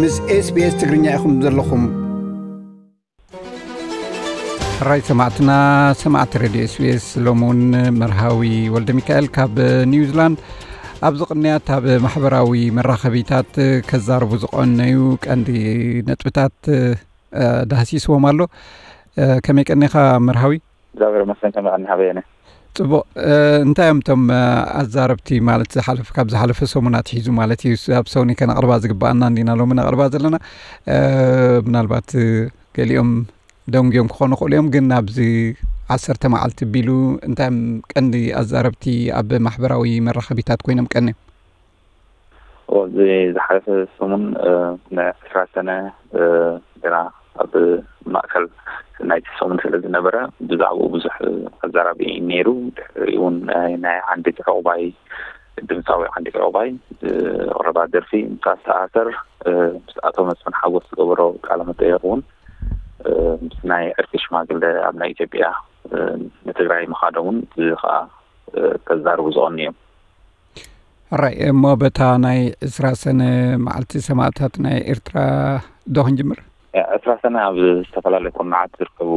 ምስ SBS ትግርኛ ኢኹም ዘለኹም። ሕራይ ሰማዕትና፣ ሰማዕቲ ሬድዮ SBS፣ ሎሚ እውን መርሃዊ ወልደ ሚካኤል ካብ ኒውዚላንድ ኣብዚ ቅንያት ኣብ ማሕበራዊ መራኸቢታት ከዛርቡ ዝቐነዩ ቀንዲ ነጥብታት፣ እ፣ ዳህሲስዎም ኣሎ። እ፣ ከመይ ቀኒኻ መርሃዊ? እግዚኣብሔር ይመስገን፣ ከመይ ቀኒኻ በየነ? ጽቡቕ። እ፣ እንታይ እዮም እቶም፣ እ፣ ኣዛረብቲ ማለት ዝሓለፈ፣ ካብ ዝሓለፈ ሰሙን ኣትሒዙ ማለት እዩ፣ ስ-፣ ኣብ ሰውኒ ከነቕርባ ዝግብኣና እንዲና ሎሚ ነቕርባ ዘለና? እ፣ ምናልባት፣ እ፣ ገሊኦም ደንጉዮም ክኾኑ ይኽእሉ እዮም፣ ግን ኣብዚ ዓሰርተ መዓልቲ ቢሉ እንታይ እዮም ቀንዲ ኣዛረብቲ ኣብ ማሕበራዊ መራኸቢታት ኮይኖም ቀንዮም? ኣብዚ ዝሓለፈ ሰሙን፣ እ፣ ንዕስራ ሰነ፣ እ፣ ገና ኣብ ማእከል ናይቲ ሰሙን ስለ ዝነበረ፣ ብዛዕባኡ ብዙሕ ኣዛራቢ ነይሩ። ድሕሪኡ እውን ናይ፣ ናይ ዓንዲት ዕቑባይ፣ ድምፃዊ ዓንዲት ዕቑባይ፣ እ፣ ኣቕረባ ደርፊ ምስ ኣተኣሰር፣ እ፣ ምስ ኣቶ መስፍን ሓጎስ ዝገበሮ ቃለ መጠየቕ እውን፣ እ፣ ምስ ናይ ዕርቂ ሽማግለ ኣብ ናይ ኢትዮጵያ፣ እ፣ ንትግራይ ምኻዶም እውን እዚ ኸዓ፣ እ፣ ከዛርቡ ዝቐንዩ እዮም። ሕራይ እሞ፣ በታ ናይ ዕስራ ሰነ መዓልቲ ሰማእታት ናይ ኤርትራ ዶ ክንጅምር? ዕስራ ሰነ ኣብ ዝተፈላለዩ ኩርናዓት ዝርከቡ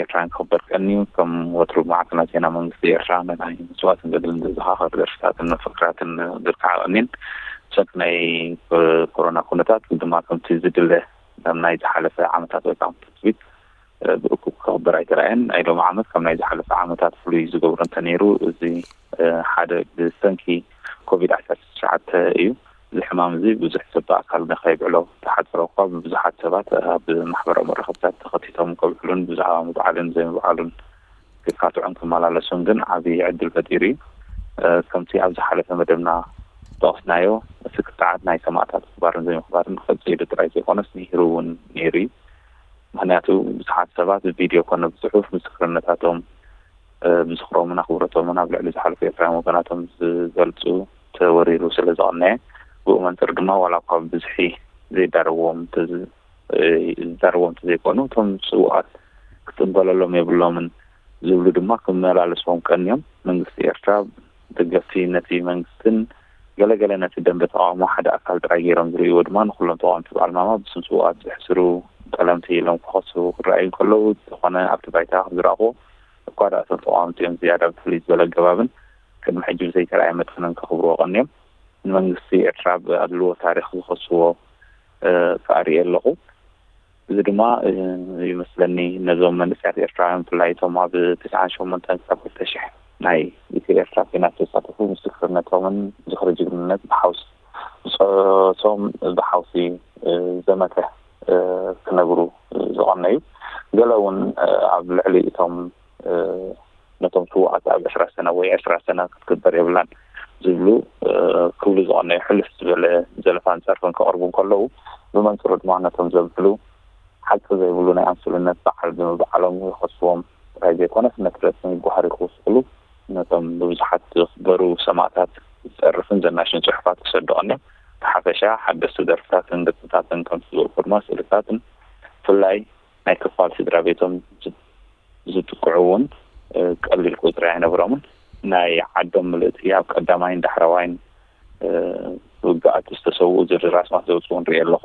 ኤርትራውያን ክኽበር ቀንዩ። ከም ወትሩ፣ ማዕከናት ዜና መንግስቲ ኤርትራ ንናይ መስዋእትን ገድልን ዘዘኻኽር ደርፍታትን መፈክራትን ዝርክዓ ቀንየን። ብሰንኪ ናይ ኮሮና ኩነታት ድማ ከምቲ ዝድለ ከም ናይ ዝሓለፈ ዓመታት ወይ ከዓ ትጽቢት፣ እ፣ ብእኩብ ክኽበር ኣይተራእየን። ናይ ሎሚ ዓመት ከም ናይ ዝሓለፈ ዓመታት ፍሉይ ዝገብሮ እንተነይሩ፣ እዚ፣ እ፣ ሓደ ብሰንኪ ኮቪድ ዓሰርተ ትሽዓተ እዩ። እዚ ሕማም እዚ ብዙሕ ሰብ ብኣካል ንኸይብዕሎ ተሓጽረ እኳ፣ ብብዙሓት ሰባት ኣብ ማሕበራዊ መራኸብታት ተኸቲቶም ከብዕሉን ብዛዕባ ምብዓልን ዘይምብዓሉን ክካትዑን ክመላለሱን ግን ዓቢ ዕድል ፈጢሩ እዩ። እ፣ ከምቲ ኣብ ዝሓለፈ መደብና ዝጠቐስናዮ፣ እቲ ክትዓት ናይ ሰማእታት ምኽባርን ዘይምኽባርን ክቕጽል ኢሉ ጥራይ ዘይኮነስ፣ ንሂሩ እውን ነይሩ እዩ። ምኽንያቱ፣ ብዙሓት ሰባት ብቪድዮ ኮነ ብጽሑፍ ምስክርነታቶም፣ እ፣ ብዝኽሮምን ኣኽብሮቶምን ኣብ ልዕሊ ዝሓለፉ ኤርትራውያን ወገናቶም ዝገልጹ ተወሪሩ ስለ ዝቐነየ፣ ብኡ መንጽር ድማ ዋላ እኳ ብብዝሒ ዘይዳረዎም እንተዝ-፣ እ፣ ዝዳረዎም እንተዘይኮኑ፣ እቶም ስዉኣት ክጽንበለሎም የብሎምን ዝብሉ ድማ ክመላለስዎም ቀንዮም። መንግስቲ ኤርትራ ደገፍቲ ነቲ መንግስትን ገለገለ ነቲ ደንበ ተቓውሞ ሓደ ኣካል ጥራይ ገይሮም ዝርእይዎ ድማ ንኹሎም ተቓወምቲ በዓል ማማ ብስም ስዉኣት ዘሕስሩ ጠለምቲ ኢሎም ክኸሱ ክረኣዩ እንከለዉ፣ ዝኾነ ኣብቲ ባይታ ከም ዝረኣኽዎ እኳ ደኣ እቶም ተቓወምቲ እዮም ዝያዳ ብፍልይ ዝበለ ኣገባብን ቅድሚ ሕጂ ብዘይተራእየ መጠንን ከኽብርዎ ቀንዮም። ንመንግስቲ ኤርትራ ብኣድልዎ ታሪኽ ዝኸስዎ፣ እ፣ ከኣ ርእየ ኣለኹ። እዚ ድማ፣ እ፣ ይመስለኒ ነዞም መንእሰያት ኤርትራውያን ብፍላይ እቶም ኣብ ትስዓን ሸሞንተን ክሳብ ክልተ ሽሕ ናይ ኢትዮ ኤርትራ ኲናት ዝተሳተፉ ምስክርነቶምን ዝኽሪ ጅግንነት ብሓውስ ብጾቶም ብሓውሲ፣ እ፣ ዘመተ፣ እ፣ ክነግሩ ዝቐነዩ። ገለ እውን፣ እ፣ ኣብ ልዕሊ እቶም፣ እ፣ ነቶም ስዉኣት ኣብ ዕስራ ሰነ ወይ ዕስራ ሰነ ክትግበር የብላን ዝብሉ፣ እ፣ ክብሉ ዝቐነዩ ሕልፍ ዝበለ ዘለፋን ጸርፍን ከቕርቡ እንከለዉ፣ ብመንጽሩ ድማ ነቶም ዘብዕሉ ሓቂ ዘይብሉ ናይ ኣምስሉነት በዓል ብምብዓሎም ይኸስዎም ጥራይ ዘይኮነስ፣ ነቲ ረስሚ ጓህሪ ክውስኹሉ ነቶም ብብዙሓት ዝኽበሩ ሰማእታት ዝጸርፍን ዘናሽን ጽሑፋት ክሰዱ ቀንዮም። ብሓፈሻ፣ ሓደስቲ ደርፍታትን ገጽታትን ከምቲ ዝበልኩ ድማ ስእልታትን፣ ብፍላይ ናይ ክፋል ስድራ ቤቶም ዝ-፣ ዝጥቅዑ እውን፣ እ፣ ቀሊል ቁጽሪ ኣይነብሮምን። ናይ ዓዶም ምልእቲ ኣብ ቀዳማይን ዳሕረዋይን፣ እ፣ ውግኣት ዝተሰውኡ ዝርዝር ኣስማት ዘውጽኡ ንርኢ ኣለኹ።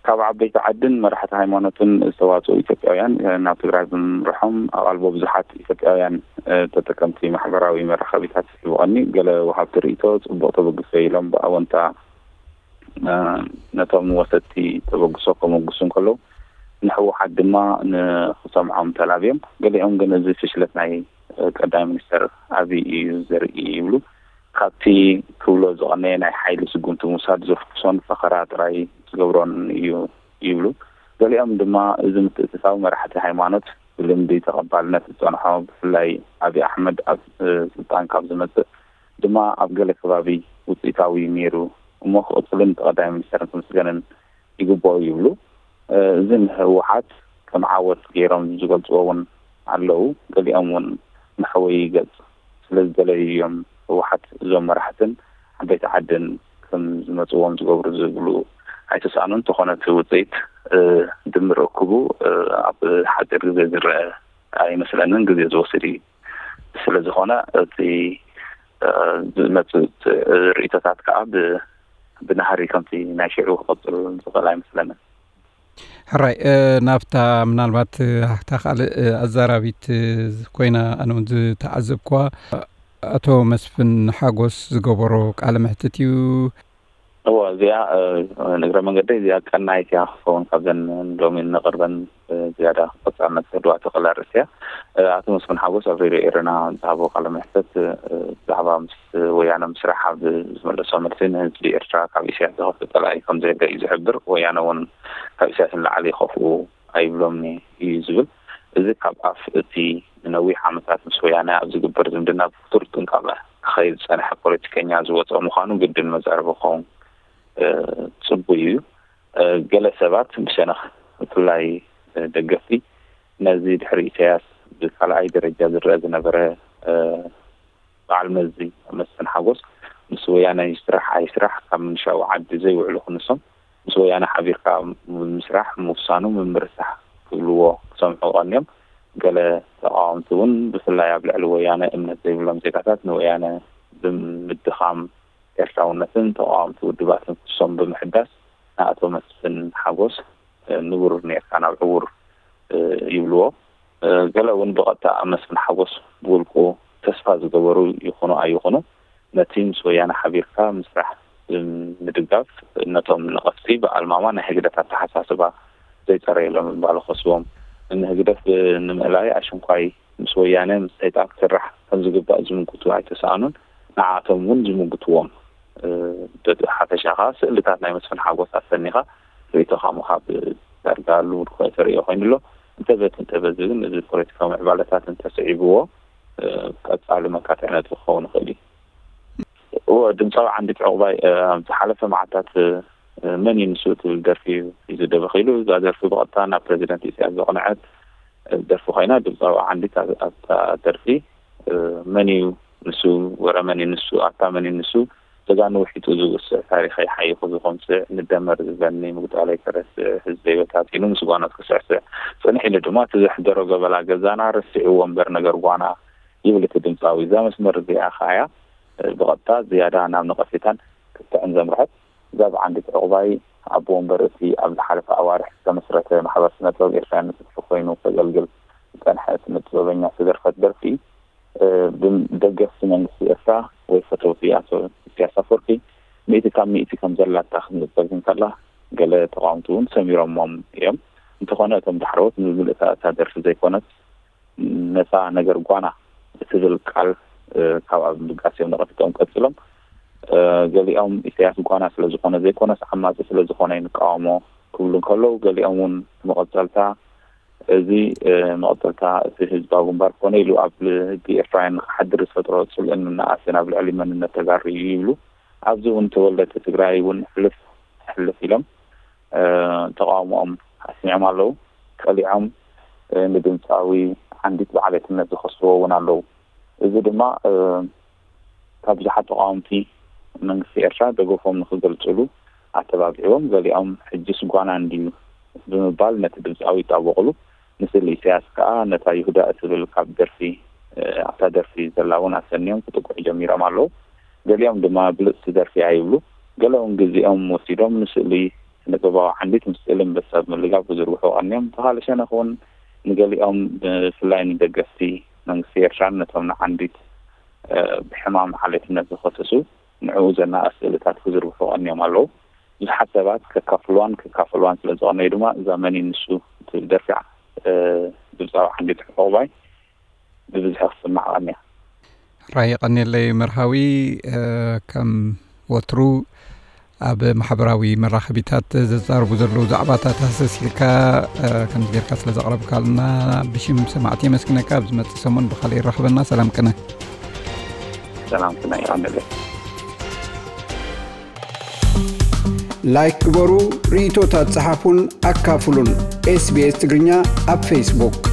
ካብ ዓበይቲ ዓድን መራሕቲ ሃይማኖትን ዝተዋጽኡ ኢትዮጵያውያን፣ እ፣ ናብ ትግራይ ብምምርሖም ኣቓልቦ ብዙሓት ኢትዮጵያውያን፣ እ፣ ተጠቀምቲ ማሕበራዊ መራኸቢታት ይስሕቡ ቀኒ። ገለ ወሃብቲ ርእይቶ ጽቡቕ ተበግሶ ኢሎም ብኣወንታ፣ እ፣ ነቶም ወሰድቲ ተበግሶ ከመጉሱ እንከለዉ፣ ንህወሓት ድማ ንኽሰምዖም ተላብዮም። ገሊኦም ግን እዚ ፍሽለት ናይ፣ እ፣ ቀዳማይ ሚኒስተር ኣብይ እዩ ዘርኢ ይብሉ። ካብቲ ክብሎ ዝቐነየ ናይ ሓይሊ ስጉምቲ ምውሳድ ዘፍኩሶን ፈኸራ ጥራይ ዝገብሮን እዩ ይብሉ። ገሊኦም ድማ እዚ ምትእትታው መራሕቲ ሃይማኖት ብልምዲ ተቐባልነት ዝጸንሖ፣ ብፍላይ ኣብይ ኣሕመድ ኣብ፣ እ፣ ስልጣን ካብ ዝመጽእ ድማ ኣብ ገለ ከባቢ ውጽኢታዊ ነይሩ እሞ ክቕጽልን ብቐዳማይ ሚኒስተር ክምስገንን ይግብኦ ይብሉ። እ፣ እዚ ንህወሓት ከም ዓወት ገይሮም ዝገልጽዎ እውን ኣለዉ። ገሊኦም እውን መሕወዪ ገጽ ስለ ዝደለዩ እዮም ህወሓት እዞም መራሕትን ዓበይቲ ዓድን ከም ዝመጽዎም ዝገብሩ ዝብሉ ኣይተሳእኑን። እንተኾነ እቲ ውጽኢት፣ እ፣ ድምር እኩቡ፣ እ፣ ኣብ ሓጺር ግዜ ዝረአ ኣይመስለንን፣ ግዜ ዝወስድ እዩ። ስለ ዝኾነ እቲ፣ እ፣ ዝመጽእ ርእይቶታት ከኣ ብ-፣ ብናህሪ ከምቲ ናይ ሽዑ ክቐፅል ዝኽእል ኣይመስለንን። ሕራይ ናብታ ምናልባት እታ ካልእ ኣዛራቢት ኮይና ኣነ እውን ዝተዓዘብኩዋ ኣቶ መስፍን ሓጎስ ዝገበሮ ቃለ መሕትት እዩ። እዎ፣ እዚኣ ንግረ መንገደይ እዚኣ ቀናይት እያ ክኸውን ካብዘን ሎሚ እንቕርበን ዝያዳ ቀጻልነት ክህልዋ ትኽእል ኣርእስቲ እያ። ኣቶ መስፍን ሓጎስ ኣብ ሬድዮ ኤረና ዝሃቦ ቃለ መሕትት ብዛዕባ ምስ ወያነ ምስራሕ ኣብ ዝመለሶ መልሲ ንህዝቢ ኤርትራ ካብ ኢሳያስ ዝኸፍእ ጸላኢ ከም ዘየለ እዩ ዝሕብር። ወያነ እውን ካብ ኢሳያስ ንላዕሊ ይኸፍኡ ኣይብሎምን እዩ ዝብል። እዚ ካብ ኣፍ እቲ ንነዊሕ ዓመታት ምስ ወያነ ኣብ ዝግበር ዝምድና ብክቱር ጥንቃቐ ክኸይድ ዝጸንሐ ፖለቲከኛ ዝወጸ ምዃኑ ግድን መዛረቢ ክኸውን ጽቡይ እዩ። ገለ ሰባት ብሸነኽ ብፍላይ ደገፍቲ ነዚ ድሕሪ ኢሳያስ ብካልኣይ ደረጃ ዝረአ ዝነበረ በዓል መዚ መስፍን ሓጎስ ምስ ወያነ ይስራሕ ኣይስራሕ ካብ ምንሻው ዓዲ ዘይውዕሉ ክንሶም ምስ ወያነ ሓቢርካ ምስራሕ ምውሳኑ ምምርሳሕ ክብልዎ ክሰምዑ ቀንዮም። ገለ ተቃወምቲ እውን ብፍላይ ኣብ ልዕሊ ወያነ እምነት ዘይብሎም ዜጋታት ንወያነ ብምድኻም ኤርትራውነትን ተቃወምቲ ውድባትን ክሶም ብምሕዳስ ንኣቶ መስፍን ሓጎስ ንቡር ኔርካ ናብ ዕውር ይብልዎ። ገለ እውን ብቐጥታ ኣብ መስፍን ሓጎስ ብውልቁ ተስፋ ዝገበሩ ይኹኑ ኣይኹኑ ነቲ ምስ ወያነ ሓቢርካ ምስራሕ ንምድጋፍ ነቶም ነቐፍቲ ብኣልማማ ናይ ህግደፍ ኣተሓሳስባ ዘይጸረየሎም ምባሉ ክኸስዎም ንህግደፍ ንምእላይ ኣሽንኳይ ምስ ወያነ ምስ ሰይጣን ክስራሕ ከም ዝግባእ ዝምጉቱ ኣይተሰኣኑን። ንዓቶም እውን ዝምጉትዎም። በቲ ሓፈሻ ከዓ ስእልታት ናይ መስፍን ሓጎስ ኣሰኒኻ ርእይቶኻ ምሃብ ዳርጋ ልሙድ ተርእዮ ኮይኑ ኣሎ። እንተበት እንተበዚ ግን እዚ ፖለቲካዊ ምዕባለታት እንተስዒብዎ ቀጻሊ መካትዒ ነጥቢ ክኸውን ይኽእል እዩ። እወ፣ ድምፃዊ ዓንዲት ዕቑባይ ኣብ ዝሓለፈ መዓልታት መን እዩ ንሱ ትብል ደርፊ እዩ ዝደበኺሉ። እዛ ደርፊ ብቐጥታ ናብ ፕረዚደንት ኢሳያስ ዘቕንዐት ደርፊ ኮይና ድምፃዊ ዓንዲት ኣብታ ደርፊ መን እዩ ንሱ፣ ወረ መን እዩ ንሱ፣ ኣታ መን እዩ ንሱ፣ ጀጋኑ ውሒጡ ዝውስዕ ታሪኸይ ሓይኹ ዝኾምስዕ ንደመር ዝበኒ ምግዳለይ ከረስዕ ህዝበይ በታቲኑ ምስ ጓኖት ክስዕስዕ ጽንሕ ኢሉ ድማ እቲ ዘሕደሮ ገበላ ገዛና ረሲዕዎ እምበር ነገር ጓና ይብል እቲ ድምፃዊ። እዛ መስመር እዚኣ ከኣያ ብቐጥታ ዝያዳ ናብ ነቐፌታን ክትዕን ዘምርሐት እዛ ብዓንዲት ዕቑባይ ኣቦ ወንበር እቲ ኣብ ዝሓለፈ ኣዋርሕ ዝተመስረተ ማሕበር ስነ ጥበብ ኤርትራውያን ንፍትሒ ኮይኑ ከገልግል ዝጸንሐ ስነ ጥበበኛ ዝተደርፈት ደርፊ ብደገፍቲ መንግስቲ ኤርትራ ወይ ፈተውቲ ኣቶ ኢሳያስ ኣፈወርቂ ሚእቲ ካብ ሚእቲ ከም ዘላታ ክትንጸግ እንከላ ገለ ተቃወምቲ እውን ሰሚሮሞም እዮም። እንተኾነ እቶም ዳሕረዎት ንምልእታ እታ ደርፊ ዘይኮነስ ነታ ነገር ጓና እትብል ቃል ካብኣ ብምብጋስ እዮም ነቐፊቶም ቀጺሎም። ገሊኦም ኢሳያስ ጓና ስለ ዝኾነ ዘይኮነስ ዓማጺ ስለ ዝኾነ ንቃወሞ ክብሉ እንከለዉ ገሊኦም እውን መቐጸልታ እዚ መቐጸልታ እቲ ህዝባዊ ግንባር ኮነ ኢሉ ኣብ ልቢ ኤርትራውያን ንክሓድር ዝፈጥሮ ጽልእን ምንኣስን ኣብ ልዕሊ መንነት ተጋሩ እዩ ይብሉ። ኣብዚ እውን ተወለድቲ ትግራይ እውን ሕልፍ ሕልፍ ኢሎም ተቃውሞኦም ኣስሚዖም ኣለዉ። ቀሊዖም ንድምፃዊ ዓንዲት ብዓሌትነት ዝኸስዎ እውን ኣለዉ። እዚ ድማ ካብ ብዙሓት ተቃወምቲ መንግስቲ ኤርትራ ደገፎም ንክገልፅሉ ኣተባቢዕዎም፣ ገሊኦም ሕጅስ ጓና እንድዩ ብምባል ነቲ ድምፃዊ ይጣበቕሉ። ንስእሊ ኢሳያስ ከዓ ነታ ይሁዳ እትብል ካብ ደርፊ ኣብታ ደርፊ ዘላ እውን ኣሰንዮም ክጥቅዑ ጀሚሮም ኣለዉ። ገሊኦም ድማ ብልፅቲ ደርፊ እያ ይብሉ። ገለ እውን ግዜኦም ወሲዶም ንስእሊ ስነ ጥበባዊ ዓንዲት ምስ ስእሊ ኣንበሳ ብምልጋብ ክዝርግሑ ቀንዮም። ብኻልእ ሸነኽ እውን ንገሊኦም ብፍላይ ንደገፍቲ መንግስቲ ኤርትራን ነቶም ንዓንዲት ብሕማም ዓሌትነት ዝኸሰሱ ንዕኡ ዘናእስ ስእልታት ክዝርግሑ ቀንዮም ኣለዉ። ብዙሓት ሰባት ከካፍልዋን ክካፈልዋን ስለ ዝቐነዩ ድማ እዛ መን እዩ ንሱ ትብል ደርፊ ድምፃዊ ዓንዲት ዕቑባይ ብብዝሒ ክስማዕ ቀንያ። ራይ ቀኒለይ መርሃዊ ከም ወትሩ ኣብ ማሕበራዊ መራኸቢታት ዘዛርቡ ዘለዉ ዛዕባታት ሃሰስ ኢልካ ከምዚ ጌርካ ስለ ዘቕረብካልና ብሽም ሰማዕቲ የመስግነካ። ኣብ ዝመጽእ ሰሙን ብኻልእ ይራኽበና። ሰላም ቅነ። ሰላም ቅነ ይቐንለይ። ላይክ ግበሩ፣ ርእይቶታት ጸሓፉን ኣካፍሉን። ኤስቢኤስ ትግርኛ ኣብ ፌስቡክ።